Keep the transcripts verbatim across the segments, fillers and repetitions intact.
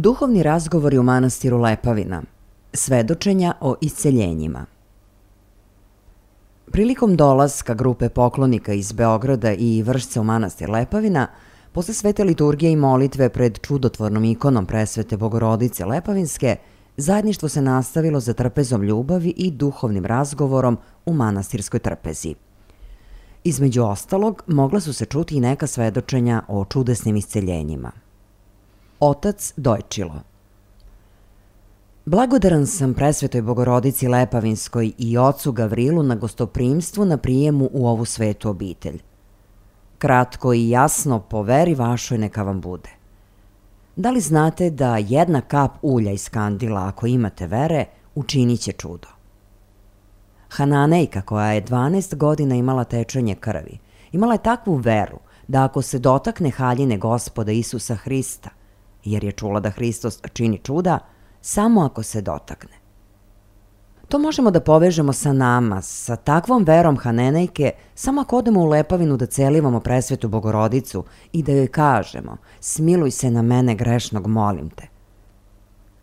Duhovni razgovori u manastiru Lepavina. Svedočenja o isceljenjima. Prilikom dolaska grupe poklonika iz Beograda i Vršca u manastir Lepavina, posle svete liturgije i molitve pred čudotvornom ikonom presvete Bogorodice Lepavinske, zajedništvo se nastavilo za trpezom ljubavi i duhovnim razgovorom u manastirskoj trpezi. Između ostalog, mogla su se čuti i neka svedočenja o čudesnim isceljenjima. Otac Dojčilo. Blagodaran sam presvetoj Bogorodici Lepavinskoj i ocu Gavrilu na gostoprimstvu na prijemu u ovu svetu obitelj. Kratko i jasno po veri vašoj neka vam bude. Da li znate da jedna kap ulja iz kandila, ako imate vere, učinit će čudo? Hananejka, koja je dvanaest godina imala tečenje krvi, imala je takvu veru da ako se dotakne haljine Gospoda Isusa Hrista, jer je čula da Hristos čini čuda, samo ako se dotakne. To možemo da povežemo sa nama, sa takvom verom Hanenejke, samo ako odemo u Lepavinu da celivamo presvetu Bogorodicu i da joj kažemo: smiluj se na mene grešnog, molim te.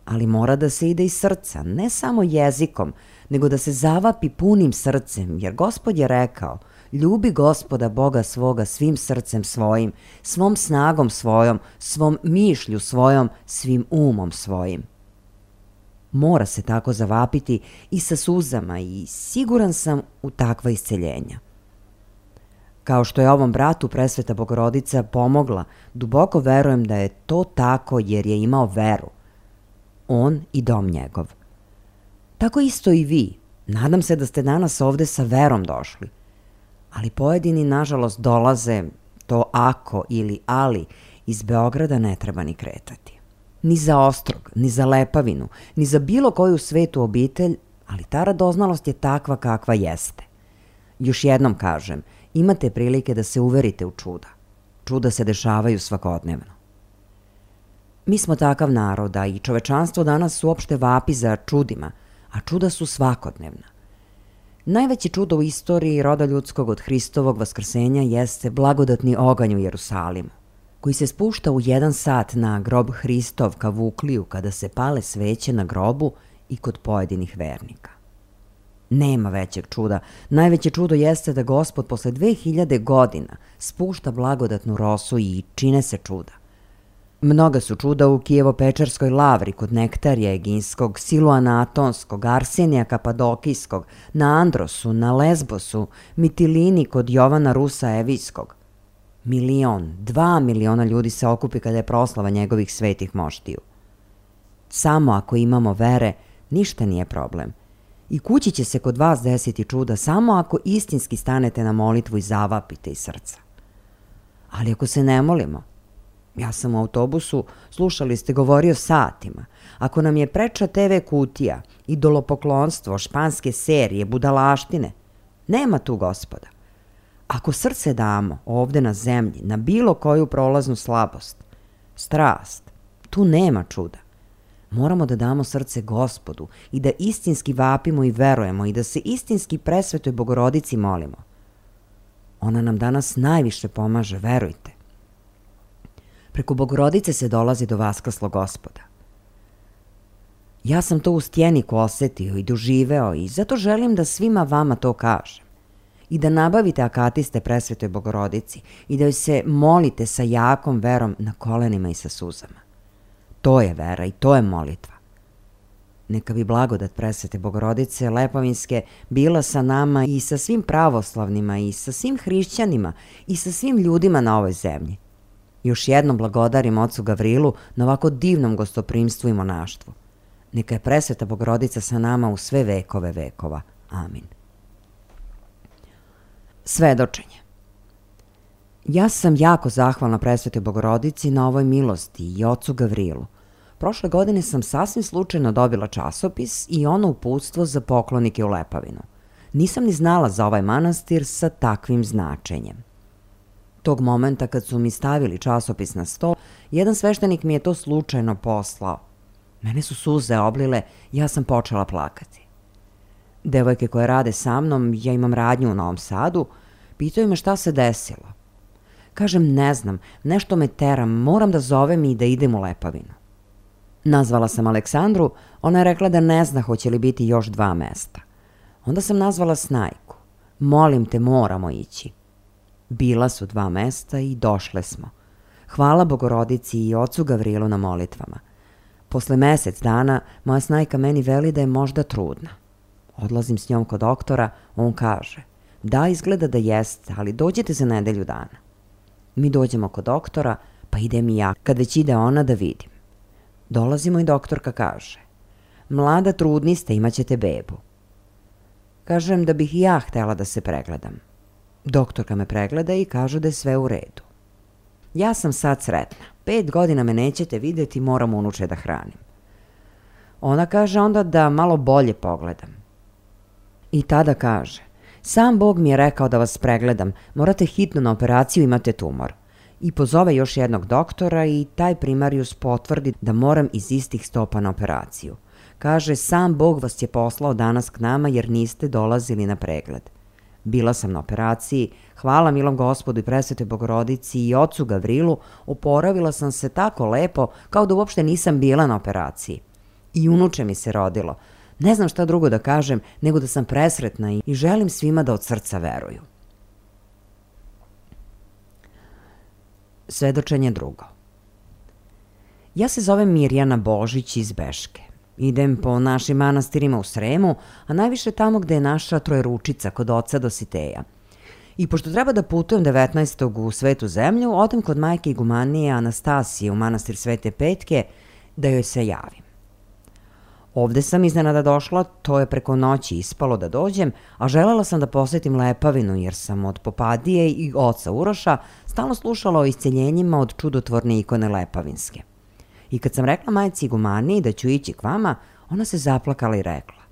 Ali mora da se ide iz srca, ne samo jezikom, nego da se zavapi punim srcem, jer Gospod je rekao: ljubi Gospoda Boga svoga svim srcem svojim, svom snagom svojom, svom mišlju svojom, svim umom svojim. Mora se tako zavapiti i sa suzama i siguran sam u takva isceljenja. Kao što je ovom bratu presveta Bogorodica pomogla, duboko verujem da je to tako jer je imao veru. On i dom njegov. Tako isto i vi. Nadam se da ste danas ovde sa verom došli. Ali pojedini, nažalost, dolaze, to ako ili ali, iz Beograda ne treba ni kretati. Ni za Ostrog, ni za Lepavinu, ni za bilo koju svetu obitelj, ali ta radoznalost je takva kakva jeste. Još jednom kažem, imate prilike da se uverite u čuda. Čuda se dešavaju svakodnevno. Mi smo takav narod, a i čovečanstvo danas uopšte vapi za čudima, a čuda su svakodnevna. Najveće čudo u istoriji roda ljudskog od Hristovog vaskrsenja jeste blagodatni oganj u Jerusalimu, koji se spušta u jedan sat na grob Hristov ka Vukliju kada se pale sveće na grobu i kod pojedinih vernika. Nema većeg čuda. Najveće čudo jeste da Gospod posle dve hiljade godina spušta blagodatnu rosu i čine se čuda. Mnoga su čuda u Kijevo-Pečarskoj lavri kod Nektarija Eginskog, Siluana Atonskog, Arsenija Kapadokijskog, na Androsu, na Lesbosu, Mitilini kod Jovana Rusa Evijskog. Milion, dva miliona ljudi se okupi kada je proslava njegovih svetih moštiju. Samo ako imamo vere, ništa nije problem. I kući će se kod vas desiti čuda samo ako istinski stanete na molitvu i zavapite iz srca. Ali ako se ne molimo, ja sam u autobusu, slušali ste, govorio satima. Ako nam je preča te ve kutija, idolopoklonstvo, španske serije, budalaštine, nema tu Gospoda. Ako srce damo ovde na zemlji, na bilo koju prolaznu slabost, strast, tu nema čuda. Moramo da damo srce Gospodu i da istinski vapimo i verujemo i da se istinski presvetoj Bogorodici molimo. Ona nam danas najviše pomaže, verujte. Preko Bogorodice se dolazi do vaskrslog Gospoda. Ja sam to u Stjeniku osetio i doživeo i zato želim da svima vama to kažem. I da nabavite akatiste presvetoj Bogorodici i da joj se molite sa jakom verom na kolenima i sa suzama. To je vera i to je molitva. Neka bi blagodat presvete Bogorodice Lepavinske bila sa nama i sa svim pravoslavnima i sa svim hrišćanima i sa svim ljudima na ovoj zemlji. Još jednom blagodarim ocu Gavrilu na ovako divnom gostoprimstvu i monaštvu. Neka je presveta Bogorodica sa nama u sve vekove vekova. Amin. Svedočenje. Ja sam jako zahvalna presvetoj Bogorodici na ovoj milosti i ocu Gavrilu. Prošle godine sam sasvim slučajno dobila časopis i ono uputstvo za poklonike u Lepavinu. Nisam ni znala za ovaj manastir sa takvim značenjem. Tog momenta kad su mi stavili časopis na sto, jedan sveštenik mi je to slučajno poslao. Mene su suze oblile, ja sam počela plakati. Devojke koje rade sa mnom, ja imam radnju u Novom Sadu, pitaju me šta se desilo. Kažem, ne znam, nešto me tera, moram da zovem i da idem u Lepavinu. Nazvala sam Aleksandru, ona je rekla da ne zna hoće li biti još dva mesta. Onda sam nazvala Snajku. Molim te, moramo ići. Bila su dva mesta i došle smo. Hvala Bogorodici i ocu Gavrilu na molitvama. Posle mesec dana moja Snajka meni veli da je možda trudna. Odlazim s njom kod doktora, on kaže: da, izgleda da jeste, ali dođete za nedelju dana. Mi dođemo kod doktora, pa idem i ja, kad već ide ona, da vidim. Dolazimo i doktorka kaže: mlada, trudni ste, imat ćete bebu. Kažem da bih i ja htela da se pregledam. Doktorka me pregleda i kaže da je sve u redu. Ja sam sad sretna. Pet godina me nećete vidjeti, moram unuče da hranim. Ona kaže onda da malo bolje pogledam. I tada kaže: sam Bog mi je rekao da vas pregledam, morate hitno na operaciju, imate tumor. I pozove još jednog doktora i taj primarijus potvrdi da moram iz istih stopa na operaciju. Kaže, sam Bog vas je poslao danas k nama jer niste dolazili na pregled. Bila sam na operaciji, hvala milom Gospodu i presvetoj Bogorodici i ocu Gavrilu, oporavila sam se tako lepo kao da uopšte nisam bila na operaciji. I unuče mi se rodilo. Ne znam šta drugo da kažem nego da sam presretna i želim svima da od srca veruju. Svedočenje drugo. Ja se zovem Mirjana Božić iz Beške. Idem po našim manastirima u Sremu, a najviše tamo gde je naša Trojeručica kod oca Dositeja. I pošto treba da putujem devetnaestog u Svetu zemlju, odem kod majke igumanije Anastasije u manastir Svete Petke da joj se javim. Ovde sam iznenada došla, to je preko noći ispalo da dođem, a želela sam da posetim Lepavinu jer sam od Popadije i oca Uroša stalno slušala o isceljenjima od čudotvorne ikone Lepavinske. I kad sam rekla majci igumaniji da ću ići k vama, ona se zaplakala i rekla: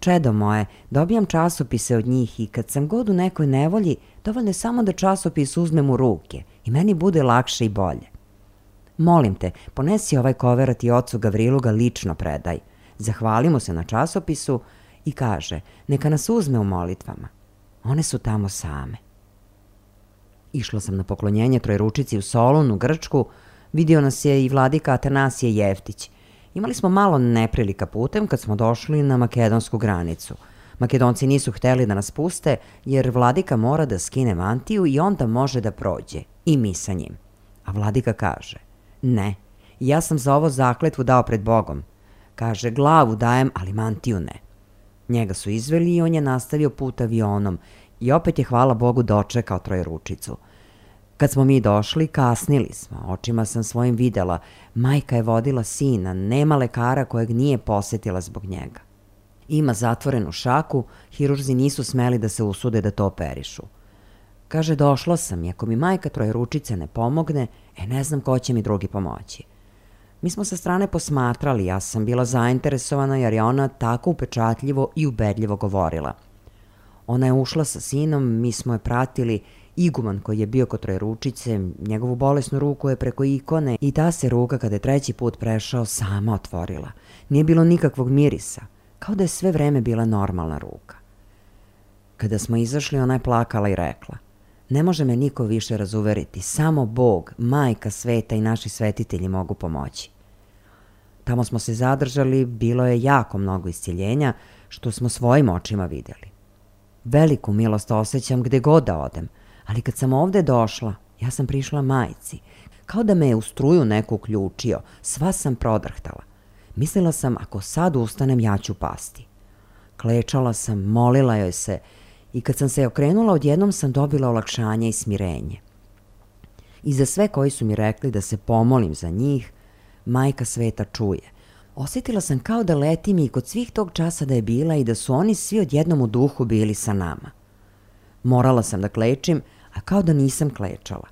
Čedo moje, dobijam časopise od njih i kad sam god u nekoj nevolji, dovoljno je samo da časopis uzmem u ruke i meni bude lakše i bolje. Molim te, ponesi ovaj koverat i ocu Gavrilu ga lično predaj. Zahvali mu se na časopisu i kaže, neka nas uzme u molitvama. One su tamo same. Išla sam na poklonjenje Trojeručici u Solun, u Grčku. Vidio nas je i vladika Atanasije Jeftić. Imali smo malo neprilika putem kad smo došli na makedonsku granicu. Makedonci nisu hteli da nas puste jer vladika mora da skine mantiju i onda može da prođe. I mi sa njim. A vladika kaže, ne, ja sam za ovo zakletvu dao pred Bogom. Kaže, glavu dajem, ali mantiju ne. Njega su izveli i on je nastavio put avionom i opet je, hvala Bogu, dočekao Trojeručicu. Kad smo mi došli, kasnili smo. Očima sam svojim videla. Majka je vodila sina, nema lekara kojeg nije posetila zbog njega. Ima zatvorenu šaku, hirurzi nisu smeli da se usude da to operišu. Kaže, došla sam i ako mi majka Trojeručice ne pomogne, e ne znam ko će mi drugi pomoći. Mi smo sa strane posmatrali, ja sam bila zainteresovana jer je ona tako upečatljivo i ubedljivo govorila. Ona je ušla sa sinom, mi smo je pratili. Iguman koji je bio kod Trojeručice, njegovu bolesnu ruku je preko ikone i ta se ruka kada je treći put prešao sama otvorila. Nije bilo nikakvog mirisa, kao da je sve vreme bila normalna ruka. Kada smo izašli, ona je plakala i rekla, ne može me niko više razuveriti, samo Bog, majka sveta i naši svetitelji mogu pomoći. Tamo smo se zadržali, bilo je jako mnogo iscjeljenja što smo svojim očima vidjeli. Veliku milost osjećam gde god da odem, ali kad sam ovde došla, ja sam prišla majci, kao da me je u struju neko uključio, sva sam prodrhtala. Mislila sam, ako sad ustanem, ja ću pasti. Klečala sam, molila joj se i kad sam se okrenula, odjednom sam dobila olakšanje i smirenje. I za sve koji su mi rekli da se pomolim za njih, majka sveta čuje. Osjetila sam kao da letim i kod svih tog časa da je bila i da su oni svi odjednom u duhu bili sa nama. Morala sam da klečim, a kao da nisam klečala.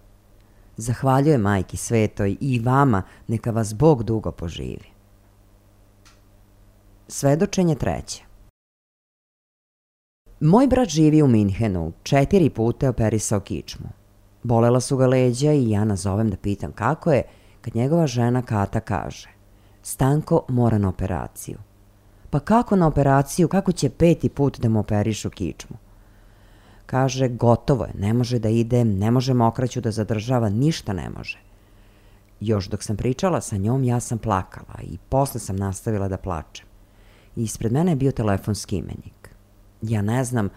Zahvaljujem majki svetoj i vama, neka vas Bog dugo poživi. Svedočenje treće. Moj brat živi u Minhenu, četiri puta je operisao kičmu. Bolela su ga leđa i ja nazovem da pitam kako je, kad njegova žena Kata kaže, Stanko mora na operaciju. Pa kako na operaciju, kako će peti put da mu operišu kičmu? Kaže, gotovo je, ne može da ide, ne može mokraću da zadržava, ništa ne može. Još dok sam pričala sa njom, ja sam plakala i posle sam nastavila da plačem. I ispred mene je bio telefonski imenik. Ja ne znam,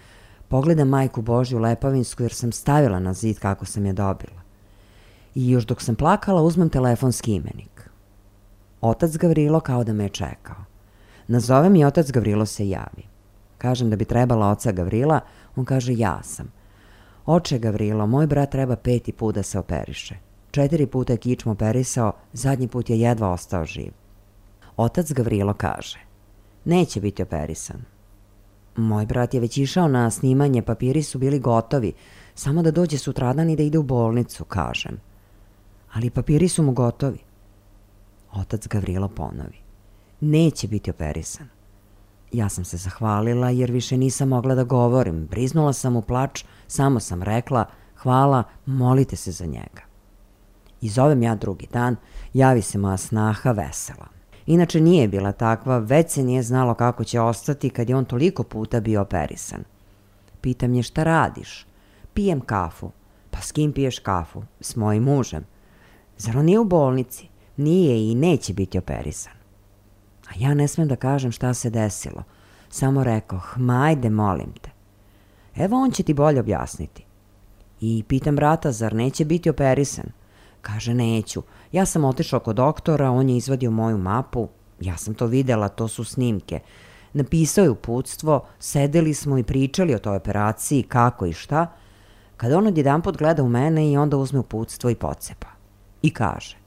pogledam majku Božju Lepavinsku jer sam stavila na zid kako sam je dobila. I još dok sam plakala, uzmem telefonski imenik. Otac Gavrilo kao da me je čekao. Nazovem i otac Gavrilo se javi. Kažem da bi trebala oca Gavrila, on kaže ja sam. Oče Gavrilo, moj brat treba peti put da se operiše. Četiri puta je kičmu operisao, zadnji put je jedva ostao živ. Otac Gavrilo kaže, neće biti operisan. Moj brat je već išao na snimanje, papiri su bili gotovi, samo da dođe sutradan i da ide u bolnicu, kažem. Ali papiri su mu gotovi. Otac Gavrilo ponovi, neće biti operisan. Ja sam se zahvalila jer više nisam mogla da govorim, briznula sam u plač, samo sam rekla, hvala, molite se za njega. I zovem ja drugi dan, javi se moja snaha vesela. Inače nije bila takva, već se nije znalo kako će ostati kad je on toliko puta bio operisan. Pitam je šta radiš? Pijem kafu. Pa s kim piješ kafu? S mojim mužem. Zar on nije u bolnici? Nije i neće biti operisan. A ja ne smem da kažem šta se desilo. Samo rekoh, ma ajde molim te. Evo on će ti bolje objasniti. I pitam brata, zar neće biti operisan? Kaže, neću. Ja sam otišao kod doktora, on je izvadio moju mapu. Ja sam to videla, to su snimke. Napisao je uputstvo, sedeli smo i pričali o toj operaciji, kako i šta, kada on odjedanput gleda u mene i onda uzme uputstvo i pocepa. I kaže,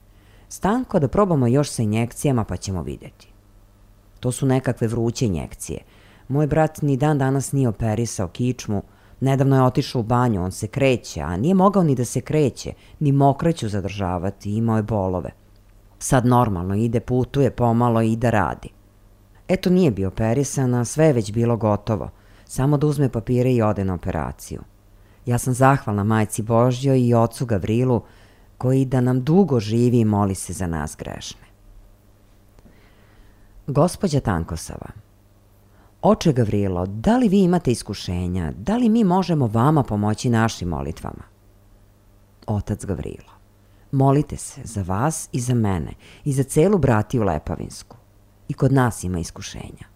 Stanko, da probamo još sa injekcijama pa ćemo vidjeti. To su nekakve vruće injekcije. Moj brat ni dan danas nije operisao kičmu, nedavno je otišao u banju, on se kreće, a nije mogao ni da se kreće, ni mokraću zadržavati, imao je bolove. Sad normalno ide, putuje pomalo i da radi. Eto, nije bio operisan, a sve je već bilo gotovo, samo da uzme papire i ode na operaciju. Ja sam zahvalna Majci Božjoj i ocu Gavrilu, koji da nam dugo živi i moli se za nas grešne. Gospođa Tankosava. Oče Gavrilo, da li vi imate iskušenja? Da li mi možemo vama pomoći našim molitvama? Otac Gavrilo. Molite se za vas i za mene i za celu bratiju Lepavinsku. I kod nas ima iskušenja.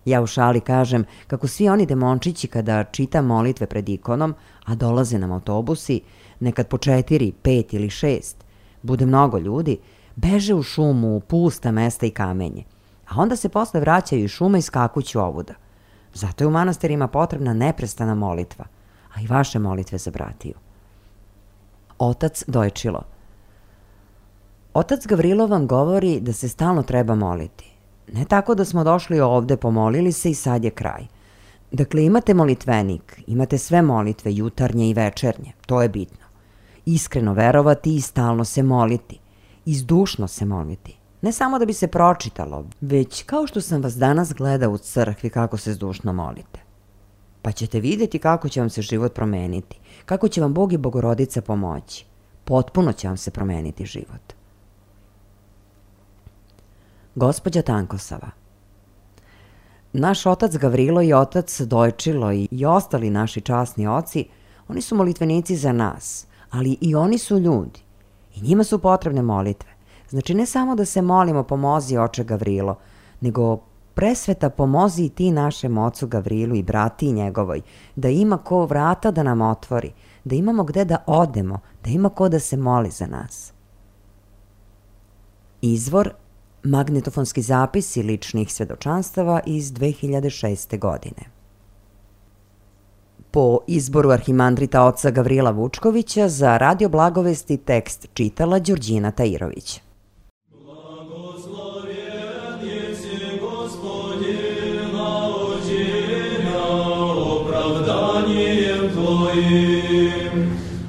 Ja u šali kažem kako svi oni demončići kada čitam molitve pred ikonom, a dolaze nam autobusi, nekad po četiri, pet ili šest, bude mnogo ljudi, beže u šumu, u pusta mesta i kamenje, a onda se posle vraćaju iz šuma i skakuću ovuda. Zato je u manastirima potrebna neprestana molitva, a i vaše molitve za bratiju. Otac Dojčilo. Otac Gavrilo vam govori da se stalno treba moliti. Ne tako da smo došli ovde, pomolili se i sad je kraj. Dakle, imate molitvenik, imate sve molitve, jutarnje i večernje, to je bitno. Iskreno verovati i stalno se moliti, izdušno se moliti. Ne samo da bi se pročitalo, već kao što sam vas danas gledao u crkvi kako se zdušno molite. Pa ćete vidjeti kako će vam se život promeniti, kako će vam Bog i Bogorodica pomoći. Potpuno će vam se promeniti život. Gospođa Tankosava. Naš otac Gavrilo i otac Dojčilo i ostali naši časni oci, oni su molitvenici za nas, ali i oni su ljudi. I njima su potrebne molitve. Znači ne samo da se molimo pomozi oče Gavrilo, nego presveta pomozi i ti našem ocu Gavrilu i brati njegovoj, da ima ko vrata da nam otvori, da imamo gde da odemo, da ima ko da se moli za nas. Izvor magnetofonski zapisi ličnih svedočanstava iz dve hiljade šeste. godine. Po izboru arhimandrita oca Gavrila Vučkovića za Radio Blagovesti tekst čitala Đurđina Tajirović.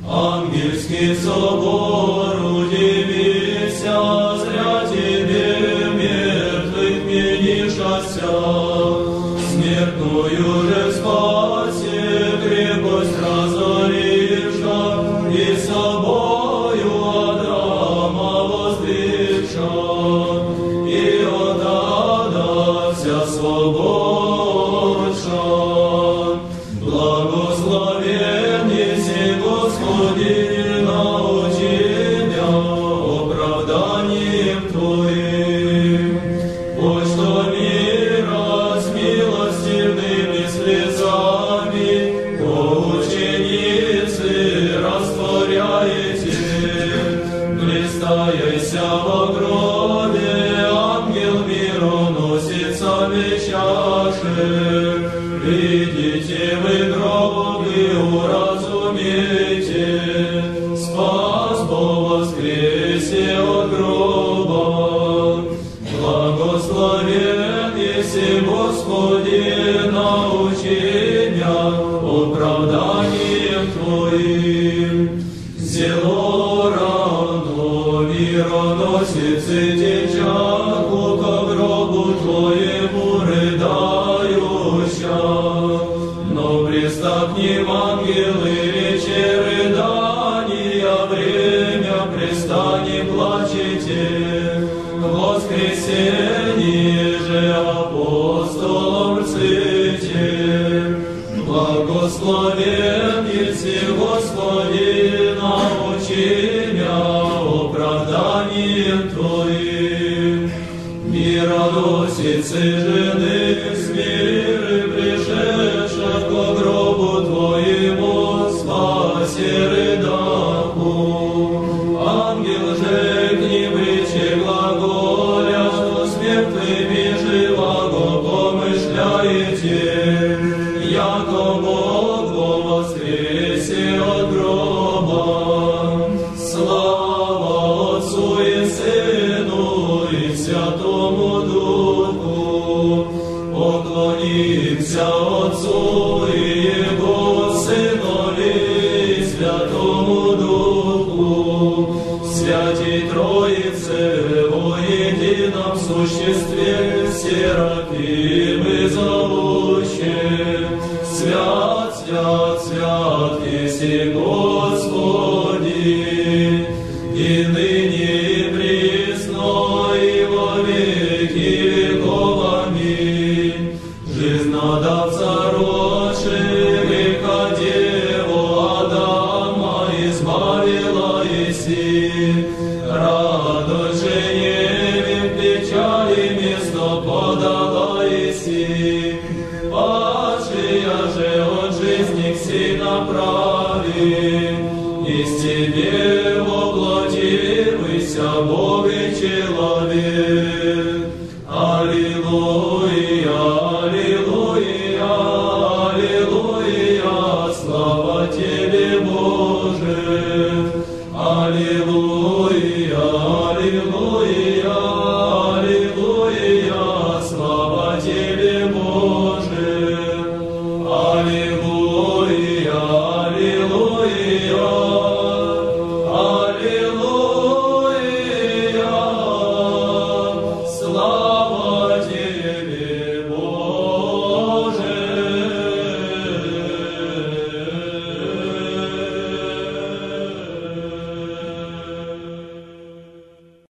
Ангельский собор, удивися, зря тебе мертвых менишася, смертную же спаси, крепость разориша, и собою Адама воздвигша, и от ада вся свободша. Благословен еси Господи, научи меня оправданием Твоим. Пусть что мира с милостивными слезами по ученицы растворяете. Блистаяся во гробе, ангел мироносицами чаши. Видите вы гроб и уразумейте, спас по воскресе от гроба. Благословен еси Господи, научи меня оправданием Твоим. Зело рано мироносицы течаку ко гробу Твоему рыдающа. Но пристакнем ангелы речи рыдания, время престанем плачете. воскресении же апостолом рците, благословен еси Господи, научения оправданием Твоим. Мироносицы жены смиры, пришедших ко гробу Твоему, спаси рыдаху. Ангел же к ним речи глаголя, что с мертвыми живаго помышляете, яко Бог воскресе от гроба. Слава Отцу и Сыну и Святому Духу, поклонимся Отцу и Его Сынові и Святому Духу, Святій Троице во едином существе, Серафимы зовущие, свят, свят, свят еси Господи, и ныне и присно и во веки веков. Аминь. Жизнодавца рочи, греха Деву Адама избавила еси, радость же неве в печали место подала еси, падшая же от жизни к си направи, из Тебе воплотився Бог и человек.